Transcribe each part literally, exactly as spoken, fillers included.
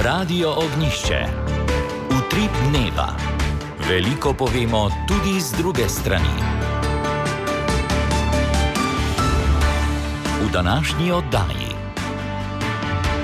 Radio Ognišče. Utrip dneva. Veliko povemo tudi z druge strani. V današnji oddaji.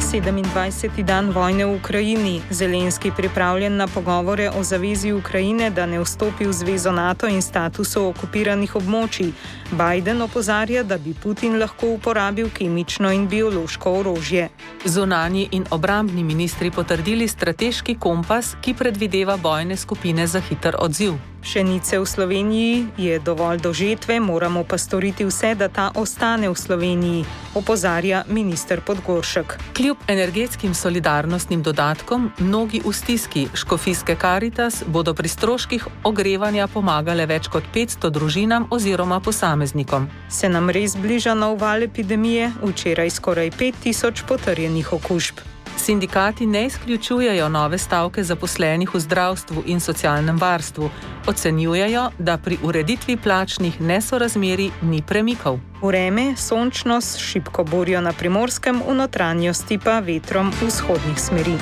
sedemindvajseti dan vojne v Ukrajini. Zelenski pripravljen na pogovore o zavezi Ukrajine, da ne vstopi v zvezo NATO in statusu okupiranih območij. Biden opozarja, da bi Putin lahko uporabil kemično in biološko orožje. Zunanji in obrambni ministri potrdili strateški kompas, ki predvideva bojne skupine za hiter odziv. Pšenice v Sloveniji je dovolj do žetve, moramo pa storiti vse, da ta ostane v Sloveniji, opozarja minister Podgoršek. Kljub energetskim solidarnostnim dodatkom, mnogi v stiski Škofijske Karitas bodo pri stroških ogrevanja pomagale več kot petsto družinam oziroma posameznikom. Se nam res bliža nov val epidemije? Včeraj skoraj pet tisoč potrjenih okužb. Sindikati ne izključujejo nove stavke zaposlenih v zdravstvu in socialnem varstvu. Ocenjujejo, da pri ureditvi plačnih nesorazmerij ni premikov. Vreme, sončno s šibko burjo na Primorskem, v notranjosti pa vetrom vzhodnih smeri.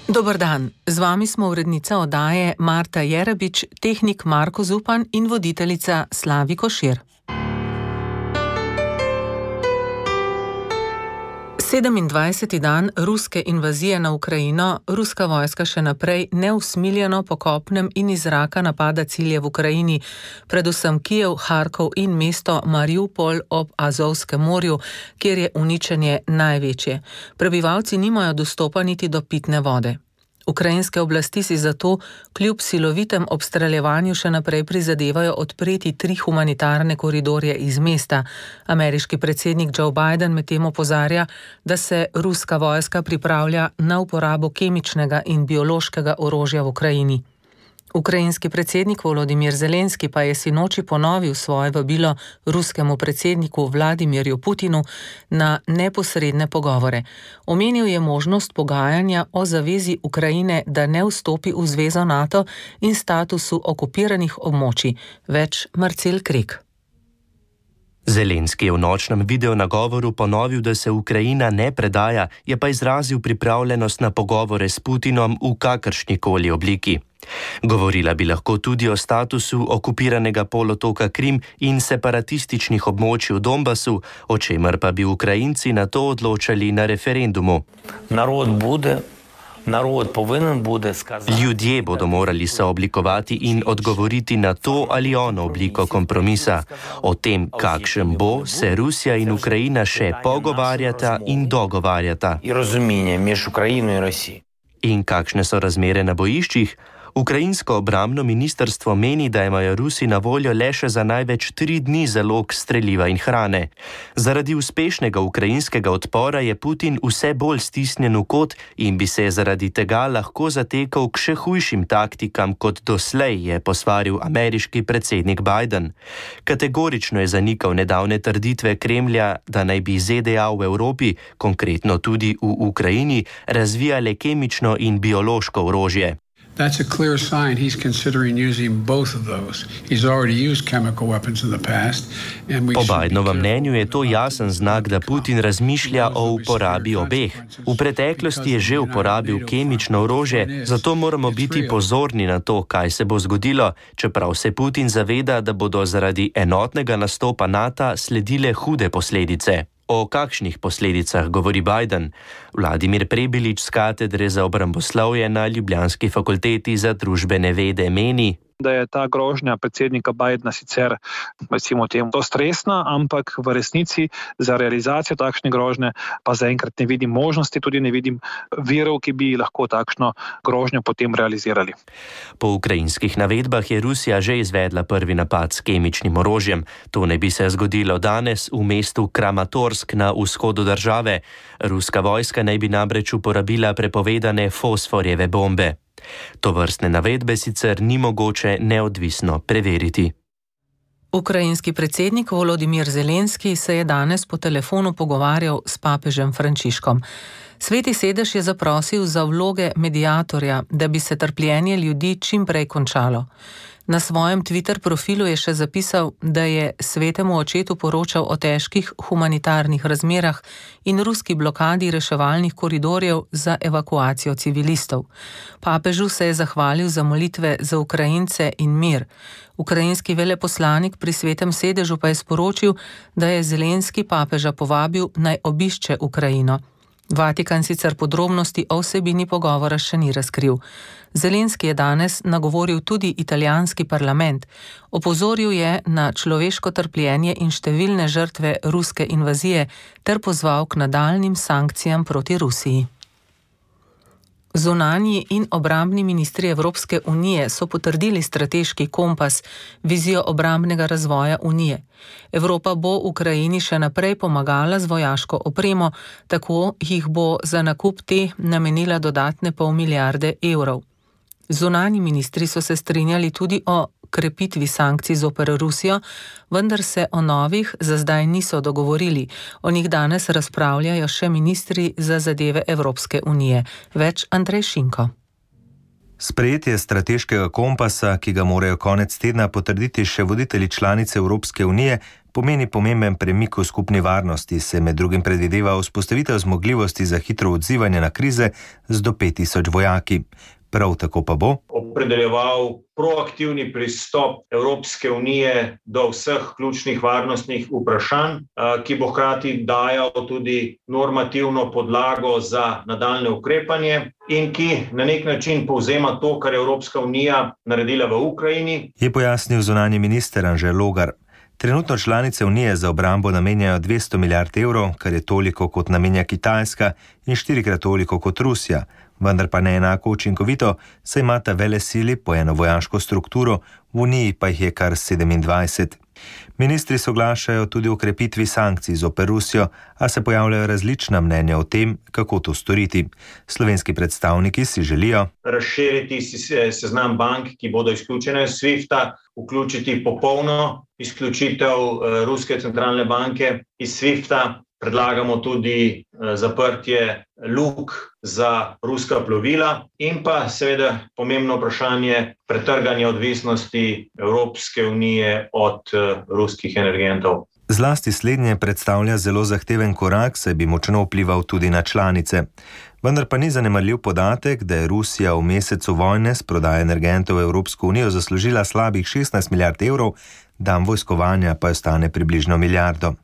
Dober dan, z vami smo urednica oddaje Marta Jerebič, tehnik Marko Zupan in voditeljica Slavi Košir. sedemindvajseti dan ruske invazije na Ukrajino, ruska vojska še naprej neusmiljeno po kopnem in iz zraka napada cilje v Ukrajini, predvsem Kijev, Harkov in mesto Mariupol ob Azovskem morju, kjer je uničenje največje. Prebivalci nimajo dostopa niti do pitne vode. Ukrajinske oblasti si zato kljub silovitem obstreljevanju še naprej prizadevajo odpreti tri humanitarne koridorje iz mesta. Ameriški predsednik Joe Biden medtem opozarja, da se ruska vojska pripravlja na uporabo kemičnega in biološkega orožja v Ukrajini. Ukrajinski predsednik Volodimir Zelenski pa je sinoči ponovil svoje vabilo ruskemu predsedniku Vladimirju Putinu na neposredne pogovore. Omenil je možnost pogajanja o zavezi Ukrajine, da ne vstopi v zvezo NATO in statusu okupiranih območij. Več Marcel Krek. Zelenski je v nočnem videonagovoru ponovil, da se Ukrajina ne predaja, je pa izrazil pripravljenost na pogovore s Putinom v kakršnikoli obliki. Govorila bi lahko tudi o statusu okupiranega polotoka Krim in separatističnih območij v Donbasu, o čemer pa bi Ukrajinci na to odločali na referendumu. Narod bude Narod povinen bude skazati. Ljudje bodo morali se oblikovati in odgovoriti na to ali ono obliko kompromisa. O tem, kakšen bo, se Rusija in Ukrajina še pogovarjata in dogovarjata. In razumije med Ukrajino in Rusijo. In kakšne so razmere na bojiščih? Ukrajinsko obrambno ministrstvo meni, da imajo Rusi na voljo le še za največ tri dni zalog streliva in hrane. Zaradi uspešnega ukrajinskega odpora je Putin vse bolj stisnjen v kot in bi se zaradi tega lahko zatekal k še hujšim taktikam kot doslej, je posvaril ameriški predsednik Biden. Kategorično je zanikal nedavne trditve Kremlja, da naj bi Z D A v Evropi, konkretno tudi v Ukrajini, razvijale kemično in biološko orožje. That's a clear sign he's considering using both of those. He's already used chemical weapons in the past. And we po Bidenovem mnenju je to jasen znak, da Putin razmišlja o uporabi obeh. V preteklosti je že uporabil kemično orožje, zato moramo biti pozorni na to, kaj se bo zgodilo, čeprav se Putin zaveda, da bodo zaradi enotnega nastopa NATO sledile hude posledice. O kakšnih posledicah govori Biden? Vladimir Prebilič z katedre za obramboslovje na Ljubljanski fakulteti za družbene vede meni, da je ta grožnja predsednika Bidena sicer, recimo temu, to stresna, ampak v resnici za realizacijo takšne grožnje pa zaenkrat ne vidim možnosti, tudi ne vidim virov, ki bi lahko takšno grožnjo potem realizirali. Po ukrajinskih navedbah je Rusija že izvedla prvi napad s kemičnim orožjem. To ne bi se zgodilo danes v mestu Kramatorsk na vzhodu države. Ruska vojska naj bi namreč uporabila prepovedane fosforjeve bombe. Tovrstne navedbe sicer ni mogoče neodvisno preveriti. Ukrajinski predsednik Volodimir Zelenski se je danes po telefonu pogovarjal s papežem Frančiškom. Sveti sedež je zaprosil za vloge mediatorja, da bi se trpljenje ljudi čim prej končalo. Na svojem Twitter profilu je še zapisal, da je svetemu očetu poročal o težkih humanitarnih razmerah in ruski blokadi reševalnih koridorjev za evakuacijo civilistov. Papežu se je zahvalil za molitve za Ukrajince in mir. Ukrajinski veleposlanik pri Svetem sedežu pa je sporočil, da je Zelenski papeža povabil naj obišče Ukrajino. Vatikan sicer podrobnosti o vsebini pogovora še ni razkril. Zelenski je danes nagovoril tudi italijanski parlament. Opozoril je na človeško trpljenje in številne žrtve ruske invazije ter pozval k nadaljnjim sankcijam proti Rusiji. Zunanji in obrambni ministri Evropske unije so potrdili strateški kompas, vizijo obrambnega razvoja unije. Evropa bo Ukrajini še naprej pomagala z vojaško opremo, tako jih bo za nakup te namenila dodatne pol milijarde evrov. Zunanji ministri so se strinjali tudi o krepitvi sankcij zoper Rusijo, vendar se o novih za zdaj niso dogovorili. O njih danes razpravljajo še ministri za zadeve Evropske unije. Več Andrej Šinko. Sprejetje strateškega kompasa, ki ga morajo konec tedna potrditi še voditelji članice Evropske unije, pomeni pomemben premik v skupni varnosti, se med drugim predvideva vzpostavitev zmogljivosti za hitro odzivanje na krize z do pet tisoč vojaki. Prav tako pa bo opredeljeval proaktivni pristop Evropske unije do vseh ključnih varnostnih vprašanj, ki bo hkrati dajal tudi normativno podlago za nadaljne ukrepanje in ki na nek način povzema to, kar je Evropska unija naredila v Ukrajini. Je pojasnil zunanji minister Anže Logar. Trenutno članice Unije za obrambo namenjajo dvesto milijard evrov, kar je toliko kot namenja Kitajska in štirikrat toliko kot Rusija, vendar pa ne enako učinkovito, saj imata velesili po eno vojaško strukturo, v Uniji pa jih je kar sedemindvajset. Ministri soglašajo tudi o krepitvi sankcij zoper Rusijo, a se pojavljajo različna mnenja o tem, kako to storiti. Slovenski predstavniki si želijo razširiti seznam bank, ki bodo izključene iz svifta, vključiti popolno izključitev Ruske centralne banke iz svifta. Predlagamo tudi zaprtje luk za ruska plovila in pa seveda pomembno vprašanje pretrganja odvisnosti Evropske unije od ruskih energentov. Zlasti slednje predstavlja zelo zahteven korak, saj bi močno vplival tudi na članice. Vendar pa ni zanemarljiv podatek, da je Rusija v mesecu vojne s prodajo energentov v Evropsko unijo zaslužila slabih šestnajst milijard evrov, dan vojskovanja pa jo stane približno milijardo.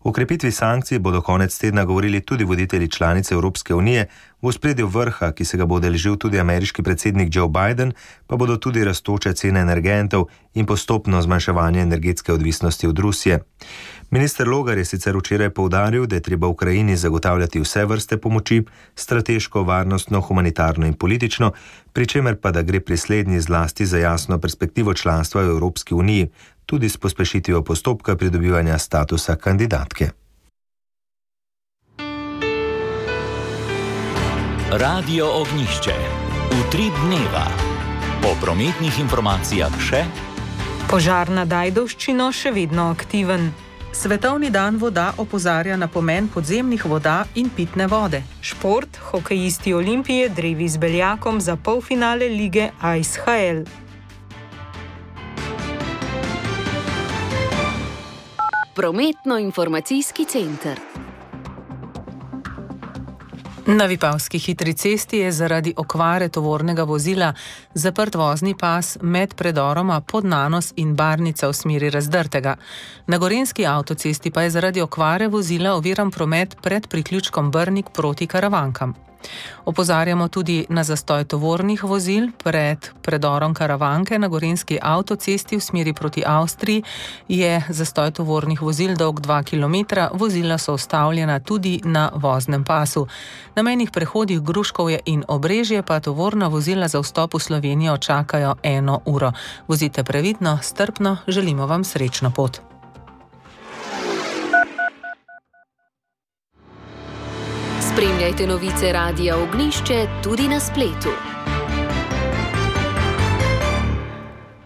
O krepitvi sankcij bodo konec tedna govorili tudi voditelji članice Evropske unije, v ospredju vrha, ki se ga bo udeležil tudi ameriški predsednik Joe Biden, pa bodo tudi rastoče cene energentov in postopno zmanjševanje energetske odvisnosti od Rusije. Minister Logar je sicer včeraj poudaril, da je treba Ukrajini zagotavljati vse vrste pomoči, strateško, varnostno, humanitarno in politično, pri čemer pa da gre pri slednji zlasti za jasno perspektivo članstva v Evropski uniji, tudi s pospešitvijo postopka pridobivanja statusa kandidatke. Radio Ognjišče. Utrip dneva. O prometnih informacijah še. Požar nad Ajdovščino še vedno aktiven. Svetovni dan voda opozarja na pomen podzemnih voda in pitne vode. Šport, hokejisti Olimpije drevi z Beljakom za polfinale lige I C H L. Prometno-informacijski center. Na Vipavski hitri cesti je zaradi okvare tovornega vozila zaprt vozni pas med predoroma Podnanos in Barnica v smeri Razdrtega. Na Gorenjski avtocesti pa je zaradi okvare vozila oviran promet pred priključkom Brnik proti Karavankam. Opozarjamo tudi na zastoj tovornih vozil pred predorom Karavanke na Gorenjski avtocesti v smeri proti Avstriji. Je zastoj tovornih vozil dolg dva kilometra, vozila so ustavljena tudi na voznem pasu. Na mejnih prehodih Gruškovje in Obrežje pa tovorna vozila za vstop v Slovenijo čakajo eno uro. Vozite previdno, strpno, želimo vam srečno pot. Spremljajte novice Radia Ognjišče tudi na spletu.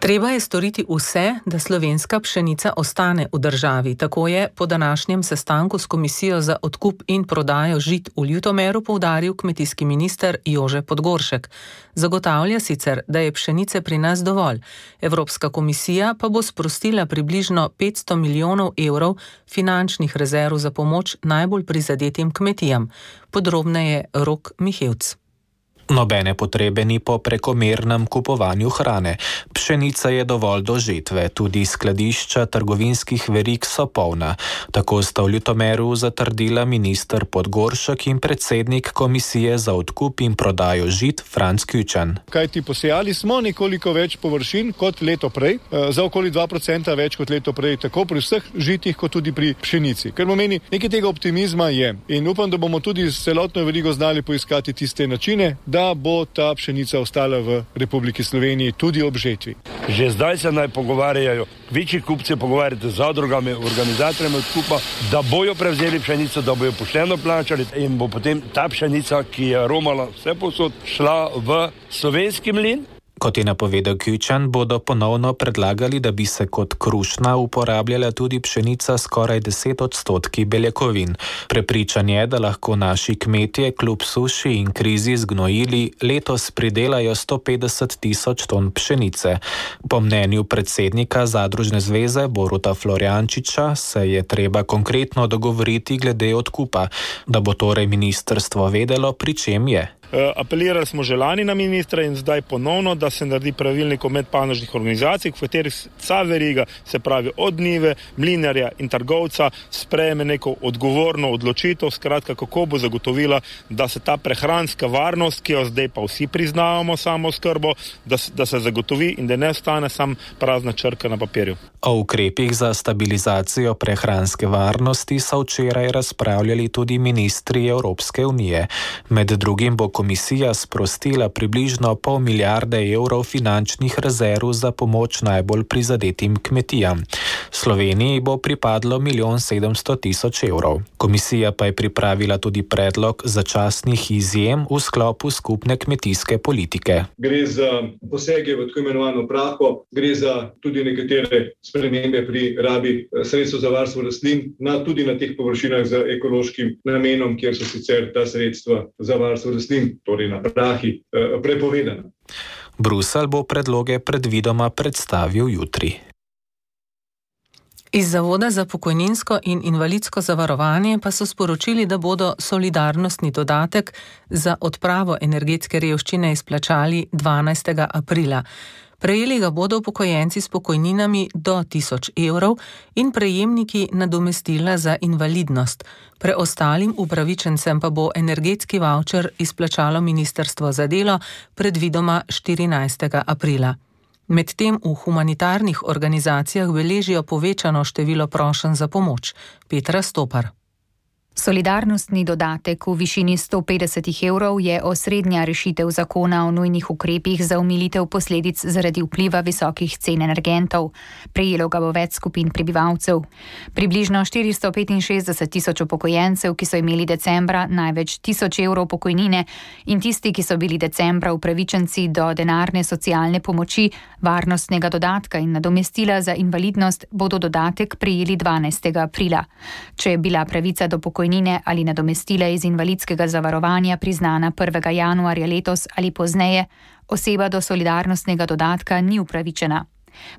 Treba je storiti vse, da slovenska pšenica ostane v državi. Tako je po današnjem sestanku s Komisijo za odkup in prodajo žit v Ljutomeru poudaril kmetijski minister Jože Podgoršek. Zagotavlja sicer, da je pšenice pri nas dovolj. Evropska komisija pa bo sprostila približno petsto milijonov evrov finančnih rezerv za pomoč najbolj prizadetim kmetijam. Podrobneje Rok Mihevc. Nobene potrebe ni po prekomernem kupovanju hrane. Pšenica je dovolj do žetve, tudi skladišča trgovinskih verig so polna. Tako sta v Ljutomeru zatrdila minister Podgoršek in predsednik Komisije za odkup in prodajo žit Franc Küčan. Kajti posejali smo nekoliko več površin kot leto prej, za okoli dva procenta več kot leto prej, tako pri vseh žitih kot tudi pri pšenici. Ker pomeni, nekaj tega optimizma je in upam, da bomo tudi s celotno verigo znali poiskati tiste načine, da bo ta pšenica ostala v Republiki Sloveniji tudi ob žetvi. Že zdaj se naj pogovarjajo, večji kupci pogovarjate z zadrugami, organizatorjem odkupa, da bojo prevzeli pšenico, da bojo pošteno plačali in bo potem ta pšenica, ki je romala vse povsod, šla v slovenski mlin. Kot je napovedal Küčan, bodo ponovno predlagali, da bi se kot krušna uporabljala tudi pšenica skoraj deset odstotki beljakovin. Prepričan je, da lahko naši kmetje kljub suši in krizi z gnojili letos pridelajo sto petdeset tisoč ton pšenice. Po mnenju predsednika Zadružne zveze Boruta Florjančiča se je treba konkretno dogovoriti glede odkupa, da bo torej ministrstvo vedelo, pri čem je. Apelirali smo že lani na ministra in zdaj ponovno, da se naredi pravilnik o medpanožnih organizacij, v katerih vsa veriga, se pravi od njive, mlinarja in trgovca, sprejme neko odgovorno odločitev, skratka kako bo zagotovila, da se ta prehranska varnost, ki jo zdaj pa vsi priznavamo samooskrbo, da, da se zagotovi in da ne ostane sam prazna črka na papirju. O ukrepih za stabilizacijo prehranske varnosti so včeraj razpravljali tudi ministri Evropske unije. Med drugim bo komisija sprostila približno pol milijarde evrov finančnih rezerv za pomoč najbolj prizadetim kmetijam. Sloveniji bo pripadlo milijon sedemsto tisoč evrov. Komisija pa je pripravila tudi predlog začasnih izjem v sklopu skupne kmetijske politike. Gre za posege v tako imenovano praho, gre za tudi nekatere spremembe pri rabi sredstev za varstvo rastlin, na, tudi na teh površinah z ekološkim namenom, kjer so sicer ta sredstva za varstvo rastlin, torej na prahi, prepovedana. Bruselj bo predloge predvidoma predstavil jutri. Iz Zavoda za pokojninsko in invalidsko zavarovanje pa so sporočili, da bodo solidarnostni dodatek za odpravo energetske revščine izplačali dvanajstega aprila. Prejeli ga bodo upokojenci s pokojninami do tisoč evrov in prejemniki nadomestila za invalidnost. Preostalim upravičencem pa bo energetski vavčer izplačalo Ministrstvo za delo predvidoma štirinajstega aprila. Medtem v humanitarnih organizacijah beležijo povečano število prošenj za pomoč. Petra Stopar. Solidarnostni dodatek v višini sto petdeset evrov je osrednja rešitev zakona o nujnih ukrepih za omilitev posledic zaradi vpliva visokih cen energentov. Prejelo ga bo več skupin prebivalcev. Približno štiristo petinšestdeset tisoč upokojencev, ki so imeli decembra največ tisoč evrov pokojnine, in tisti, ki so bili decembra upravičenci do denarne socialne pomoči, varnostnega dodatka in nadomestila za invalidnost, bodo dodatek prejeli dvanajstega aprila. Če je bila pravica do pokojnine ali nadomestila iz invalidskega zavarovanja priznana prvega januarja letos ali pozneje, oseba do solidarnostnega dodatka ni upravičena.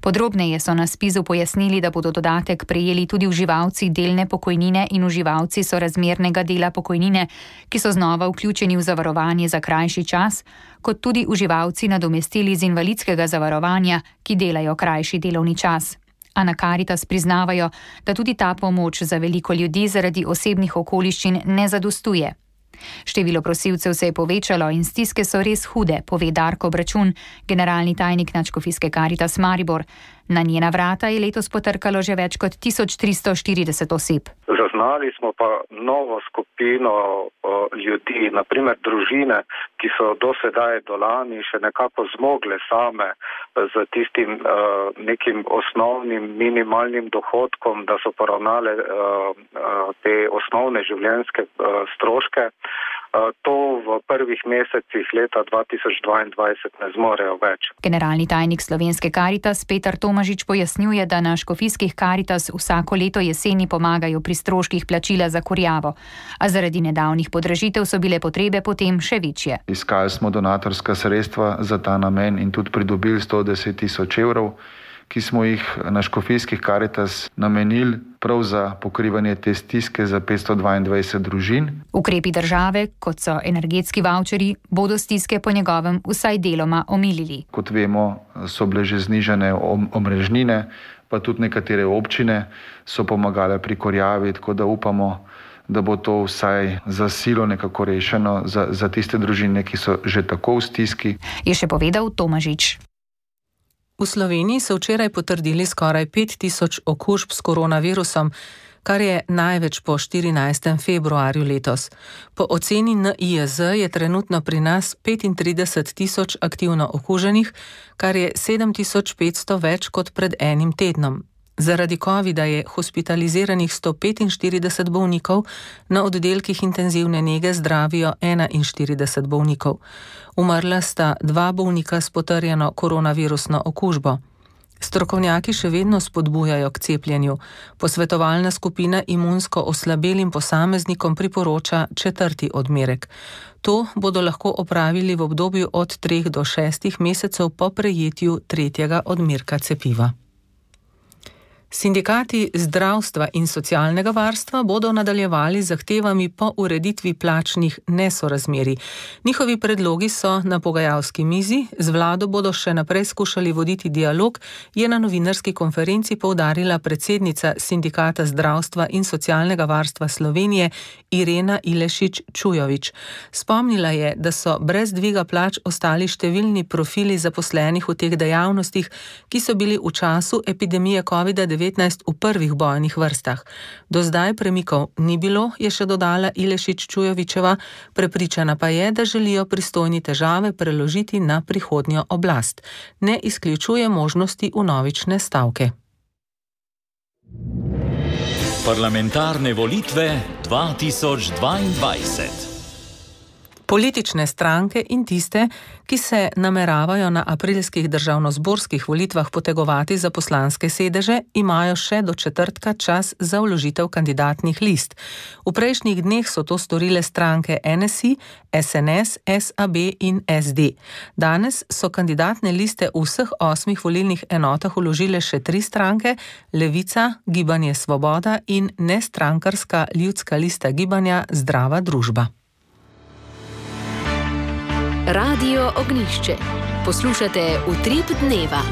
Podrobneje so na spizu pojasnili, da bodo dodatek prejeli tudi uživalci delne pokojnine in uživalci sorazmernega dela pokojnine, ki so znova vključeni v zavarovanje za krajši čas, kot tudi uživalci nadomestili iz invalidskega zavarovanja, ki delajo krajši delovni čas. A na Karitas priznavajo, da tudi ta pomoč za veliko ljudi zaradi osebnih okoliščin ne zadostuje. Število prosilcev se je povečalo in stiske so res hude, pove Darko Bračun, generalni tajnik Nadškofijske Karitas Maribor. Na njena vrata je letos potrkalo že več kot tisoč tristo štirideset oseb. Zaznali smo pa novo skupino o, ljudi, naprimer družine, ki so do sedaj do lani še nekako zmogle same z tistim uh, nekim osnovnim minimalnim dohodkom, da so poravnale uh, uh, te osnovne življenjske uh, stroške. to v prvih mesecih leta dva tisoč dvaindvajset ne zmorejo več. Generalni tajnik Slovenske Karitas Petar Tomažič pojasnjuje, da na škofijskih Karitas vsako leto jeseni pomagajo pri stroških plačila za kurjavo, a zaradi nedavnih podražitev so bile potrebe potem še večje. Iskali smo donatorska sredstva za ta namen in tudi pridobili sto deset tisoč evrov, ki smo jih na škofijskih Karitas namenili prav za pokrivanje te stiske za petsto dvaindvajset družin. Ukrepi države, kot so energetski vavčeri, bodo stiske po njegovem vsaj deloma omilili. Kot vemo, so bile že znižane omrežnine, pa tudi nekatere občine so pomagale pri kurjavi, tako da upamo, da bo to vsaj za silo nekako rešeno za, za tiste družine, ki so že tako v stiski. Je še povedal Tomažič. V Sloveniji so včeraj potrdili skoraj pet tisoč okužb s koronavirusom, kar je največ po štirinajstem februarju letos. Po oceni N I J Z je trenutno pri nas petintrideset tisoč aktivno okuženih, kar je sedem tisoč petsto več kot pred enim tednom. Zaradi covida je hospitaliziranih sto petinštirideset bolnikov, na oddelkih intenzivne nege zdravijo enainštirideset bolnikov. Umrla sta dva bolnika s potrjeno koronavirusno okužbo. Strokovnjaki še vedno spodbujajo k cepljenju. Posvetovalna skupina imunsko oslabelim posameznikom priporoča četrti odmerek. To bodo lahko opravili v obdobju od treh do šestih mesecev po prejetju tretjega odmerka cepiva. Sindikati zdravstva in socialnega varstva bodo nadaljevali z zahtevami po ureditvi plačnih nesorazmerij. Njihovi predlogi so na pogajalski mizi, z vlado bodo še naprej skušali voditi dialog, je na novinarski konferenci poudarila predsednica Sindikata zdravstva in socialnega varstva Slovenije Irena Ilešič-Čujovič. Spomnila je, da so brez dviga plač ostali številni profili zaposlenih v teh dejavnostih, ki so bili v času epidemije covida devetnajst v prvih bojnih vrstah. Do zdaj premikov ni bilo, je še dodala Ilešič-Čujovičeva, prepričana pa je, da želijo pristojni težave preložiti na prihodnjo oblast. Ne izključuje možnosti vnovične stavke. Parlamentarne volitve dva tisoč dvaindvajset. Politične stranke in tiste, ki se nameravajo na aprilskih državnozborskih volitvah potegovati za poslanske sedeže, imajo še do četrtka čas za vložitev kandidatnih list. V prejšnjih dneh so to storile stranke N S I, S N S, S A B in S D. Danes so kandidatne liste v vseh osmih volilnih enotah vložile še tri stranke, Levica, Gibanje Svoboda in nestrankarska ljudska lista gibanja Zdrava družba. Radio Ognjišče. Poslušate Utrip dneva.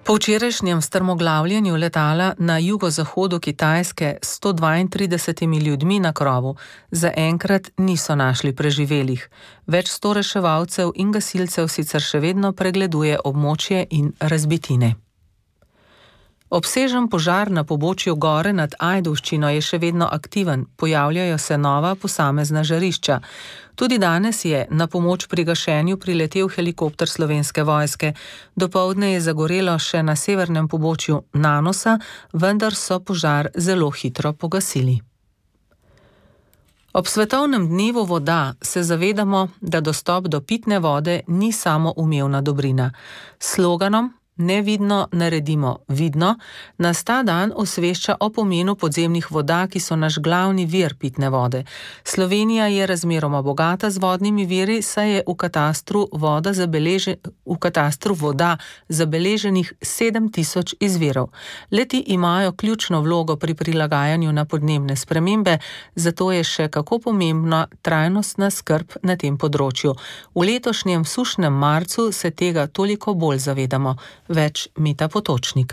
Po včerajšnjem strmoglavljenju letala na jugozahodu Kitajske s sto dvaintridesetimi ljudmi na krovu zaenkrat niso našli preživelih. Več sto reševalcev in gasilcev sicer še vedno pregleduje območje in razbitine. Obsežen požar na pobočju gore nad Ajdovščino je še vedno aktiven, pojavljajo se nova posamezna žarišča. Tudi danes je na pomoč pri gašenju priletel helikopter Slovenske vojske. Dopoldne je zagorelo še na severnem pobočju Nanosa, vendar so požar zelo hitro pogasili. Ob svetovnem dnevu voda se zavedamo, da dostop do pitne vode ni samo umevna dobrina. S sloganom Nevidno naredimo vidno nas ta dan osvešča o pomenu podzemnih voda, ki so naš glavni vir pitne vode. Slovenija je razmeroma bogata z vodnimi viri, saj je v katastru voda, zabeleže, v katastru voda zabeleženih sedem tisoč izvirov. Leti imajo ključno vlogo pri prilagajanju na podnebne spremembe, zato je še kako pomembna trajnostna skrb na tem področju. V letošnjem sušnem marcu se tega toliko bolj zavedamo. Več Mita Potočnik.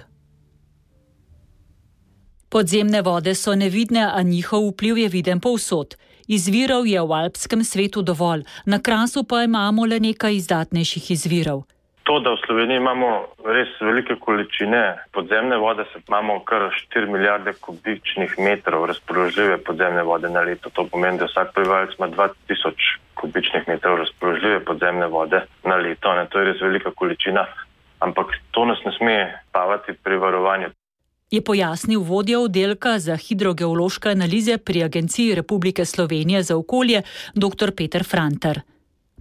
Podzemne vode so nevidne, a njihov vpliv je viden povsod. Izvirov je v alpskem svetu dovolj, na Krasu pa imamo le nekaj izdatnejših izvirov. To, da v Sloveniji imamo res velike količine podzemne vode, se imamo kar štiri milijarde kubičnih metrov razpoložljive podzemne vode na leto. To pomeni, da vsak prebivalec ima dva tisoč kubičnih metrov razpoložljive podzemne vode na leto. Ne? To je res velika količina. Ampak to nas ne sme spavati pri varovanju. je pojasnil vodja oddelka za hidrogeološke analize pri Agenciji Republike Slovenije za okolje dr. Peter Frantar.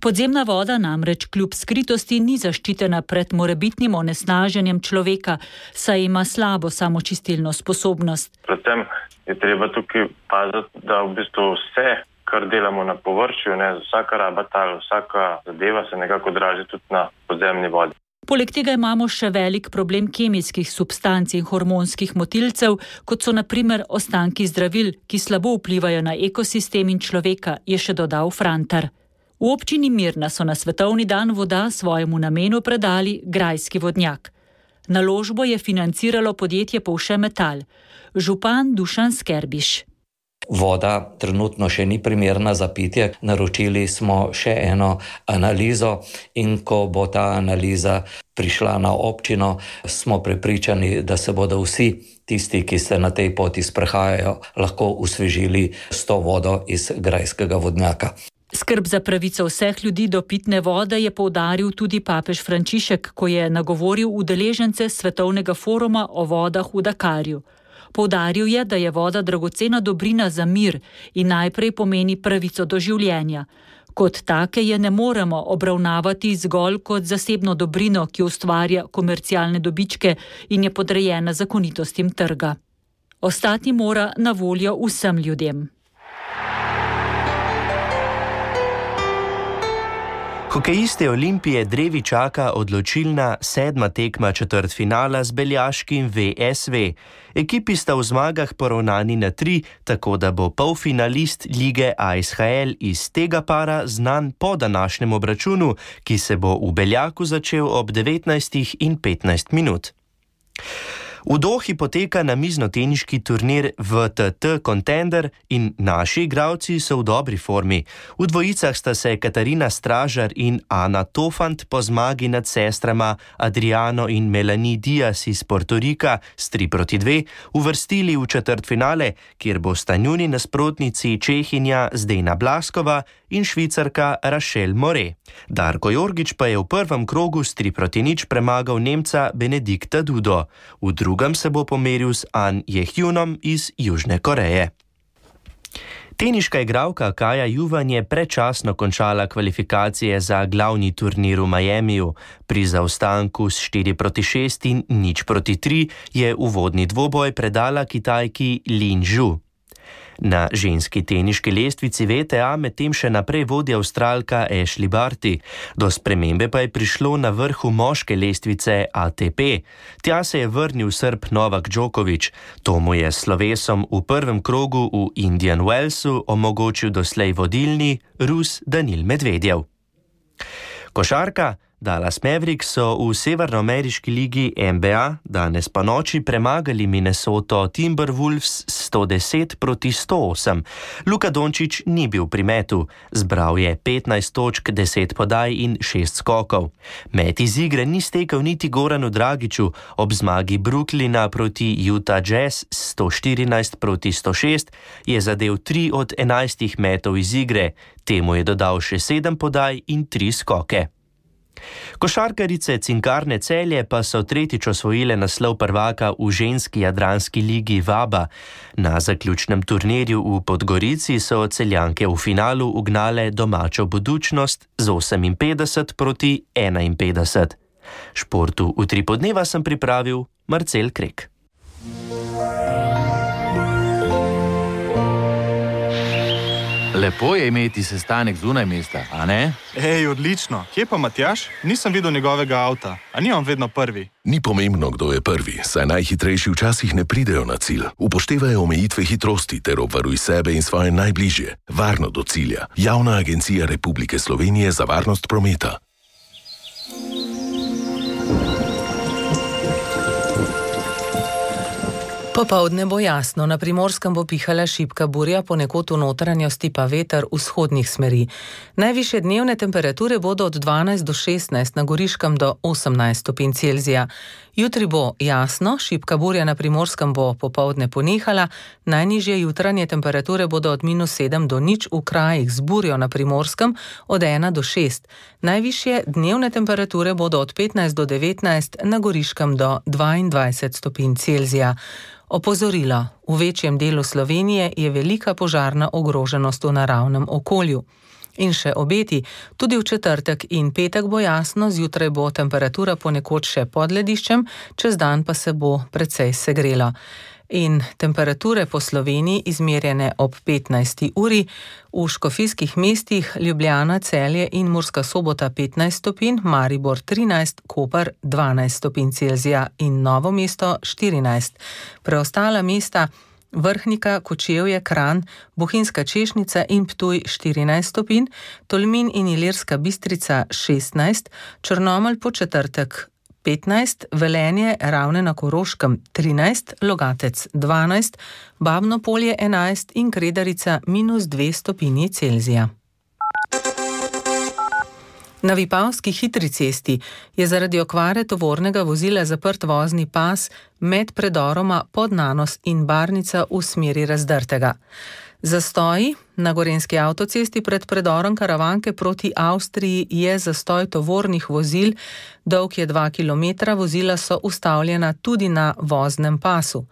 Podzemna voda namreč kljub skritosti ni zaščitena pred morebitnim onesnaženjem človeka, saj ima slabo samočistilno sposobnost. Predvsem je treba tukaj paziti, da v bistvu vse, kar delamo na površju, ne, vsaka raba tal, vsaka zadeva se nekako odraži tudi na podzemni vodi. Poleg tega imamo še velik problem kemijskih substanc in hormonskih motilcev, kot so na primer ostanki zdravil, ki slabo vplivajo na ekosistem in človeka, je še dodal Frantar. V občini Mirna so na svetovni dan voda svojemu namenu predali grajski vodnjak. Naložbo je financiralo podjetje Povše Metal. Župan Dušan Skerbiš. Voda trenutno še ni primerna za pitje. Naročili smo še eno analizo in ko bo ta analiza prišla na občino, smo prepričani, da se bodo vsi tisti, ki se na tej poti sprehajajo, lahko osvežili s to vodo iz grajskega vodnjaka. Skrb za pravico vseh ljudi do pitne vode je poudaril tudi papež Frančišek, ko je nagovoril udeležence Svetovnega foruma o vodah v Dakarju. Poudaril je, da je voda dragocena dobrina za mir in najprej pomeni pravico do življenja. Kot take je ne moremo obravnavati zgolj kot zasebno dobrino, ki ustvarja komercialne dobičke in je podrejena zakonitostim trga. Ostati mora na voljo vsem ljudem. Hokejiste Olimpije drevi čaka odločilna sedma tekma četrtfinala z beljaškim V S V. Ekipi sta v zmagah poravnani na tri, tako da bo polfinalist lige A S H L iz tega para znan po današnjem obračunu, ki se bo v Beljaku začel ob devetnajstih in petnajst minut. V Dohi poteka namiznoteniški turnir V T T Contender in naši igralci so v dobri formi. V dvojicah sta se Katarina Stražar in Ana Tofant po zmagi nad sestrama Adriano in Melanie Diaz iz Portorika s tri proti dve uvrstili v četrtfinale, kjer bosta njuni nasprotnici Čehinja Zdena Blaskova in Švicarka Rachel More. Darko Jorgič pa je v prvem krogu s tri proti nič premagal Nemca Benedikta Dudo. V drugem se bo pomeril s An Jehjunom iz Južne Koreje. Teniška igralka Kaja Juvan je predčasno končala kvalifikacije za glavni turnir v Miamiju. Pri zaostanku s štiri proti šest in nič proti tri je uvodni dvoboj predala Kitajki Lin Zhu. Na ženski teniški lestvici V T A medtem še naprej vodi Avstralka Ashley Barty. Do spremembe pa je prišlo na vrhu moške lestvice A T P. Tja se je vrnil Srb Novak Djokovic. To mu je s slovesom v prvem krogu v Indian Wellsu omogočil doslej vodilni Rus Danil Medvedjev. Košarka. Dallas Mavericks so v severnoameriški ligi N B A danes pa noči premagali Minnesota Timberwolves sto deset proti sto osem. Luka Dončić ni bil pri metu, zbral je petnajst točk, deset podaj in šest skokov. Met iz igre ni stekel niti Goranu Dragiću, ob zmagi Brooklyna proti Utah Jazz sto štirinajst proti sto šest je zadel tri od enajstih metov iz igre, temu je dodal še sedem podaj in tri skoke. Košarkarice Cinkarne Celje pa so tretjič osvojile naslov prvaka v ženski jadranski ligi Vaba. Na zaključnem turnirju v Podgorici so Celjanke v finalu ugnale domačo Budućnost z oseminpetdeset proti enainpetdeset. Športu v tri podneva sem pripravil Marcel Krek. Lepo je imeti sestanek zunaj mesta, a ne? Ej, odlično. Kje pa Matjaž? Nisem videl njegovega avta. A ni on vedno prvi? Ni pomembno, kdo je prvi, saj najhitrejši včasih ne pridejo na cilj. Upoštevajo omejitve hitrosti ter obvaruj sebe in svoje najbližje. Varno do cilja. Javna agencija Republike Slovenije za varnost prometa. Popoldne bo jasno, na Primorskem bo pihala šibka burja, ponekod v notranjosti pa veter vzhodnih smeri. Najvišje dnevne temperature bodo od dvanajst do šestnajst, na Goriškem do osemnajst stopinj Celzija. Jutri bo jasno, šibka burja na Primorskem bo popoldne ponehala, najnižje jutranje temperature bodo od minus sedem do nič v krajih z burjo na Primorskem, od ena do šest. Najvišje dnevne temperature bodo od petnajst do devetnajst, na Goriškem do dvaindvajset stopinj Celzija. Opozorilo: v večjem delu Slovenije je velika požarna ogroženost v naravnem okolju. In še obeti, tudi v četrtek in petek bo jasno, zjutraj bo temperatura ponekod še pod lediščem, čez dan pa se bo precej segrelo. In temperature po Sloveniji izmerjene ob petnajsti uri, v škofijskih mestih Ljubljana, Celje in Murska Sobota petnajst stopinj, Maribor trinajst, Koper dvanajst stopinj Celzija in Novo mesto štirinajst. Preostala mesta Vrhnika, Kočevje, Kranj, Bohinjska Češnica in Ptuj štirinajst stopinj, Tolmin in Ilirska Bistrica šestnajst, Črnomelj po četrtek petnajst, Velenje, Ravne na Koroškem trinajst, Logatec dvanajst, Babno Polje enajst in Kredarica minus dve stopinji Celzija. Na Vipavski hitri cesti je zaradi okvare tovornega vozila zaprt vozni pas med predoroma Podnanos in Barnica v smeri Razdrtega. Zastoji na gorenjski avtocesti pred predorom Karavanke proti Avstriji je zastoj tovornih vozil, dolg je dva kilometra, vozila so ustavljena tudi na voznem pasu.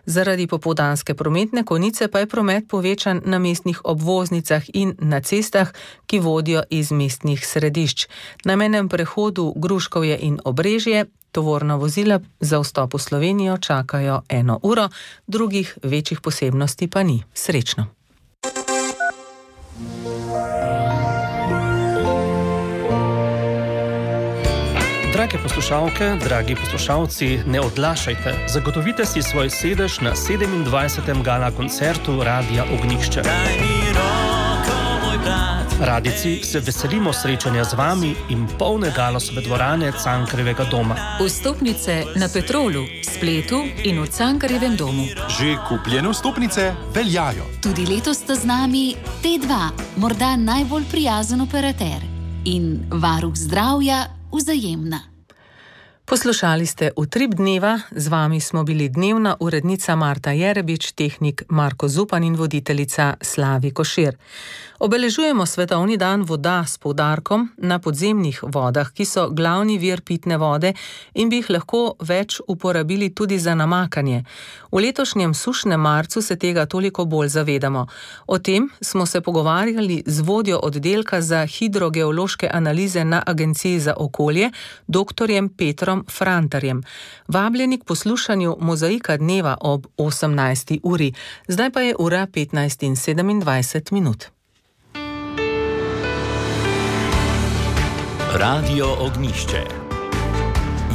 Zaradi popoldanske prometne konice pa je promet povečan na mestnih obvoznicah in na cestah, ki vodijo iz mestnih središč. Na mejnem prehodu Gruškovje in Obrežje tovorna vozila za vstop v Slovenijo čakajo eno uro, drugih večjih posebnosti pa ni. Srečno! Drage poslušalke, dragi poslušalci, ne odlašajte. Zagotovite si svoj sedež na sedemindvajsetem gala koncertu Radia Ognjišče. Radijci se veselimo srečanja z vami in polne Galosove dvorane Cankarjevega doma. Vstopnice na Petrolu, spletu in v Cankarjevem domu. Že kupljene vstopnice veljajo. Tudi letos sta z nami T dva, morda najbolj prijazen operater, in varuh zdravja Vzajemna. Poslušali ste Utrip dneva, z vami smo bili dnevna urednica Marta Jerebič, tehnik Marko Zupan in voditeljica Slavi Košir. Obeležujemo Svetovni dan voda s poudarkom na podzemnih vodah, ki so glavni vir pitne vode in bi jih lahko več uporabili tudi za namakanje. V letošnjem sušnem marcu se tega toliko bolj zavedamo. O tem smo se pogovarjali z vodjo oddelka za hidrogeološke analize na Agenciji za okolje, doktorjem Petrom Frantarjem. Vabljeni k poslušanju Mozaika dneva ob osemnajsti uri. Zdaj pa je ura petnajst in sedemindvajset minut. Radio Ognjišče.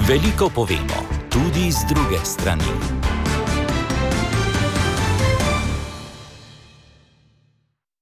Veliko povemo, tudi z druge strani.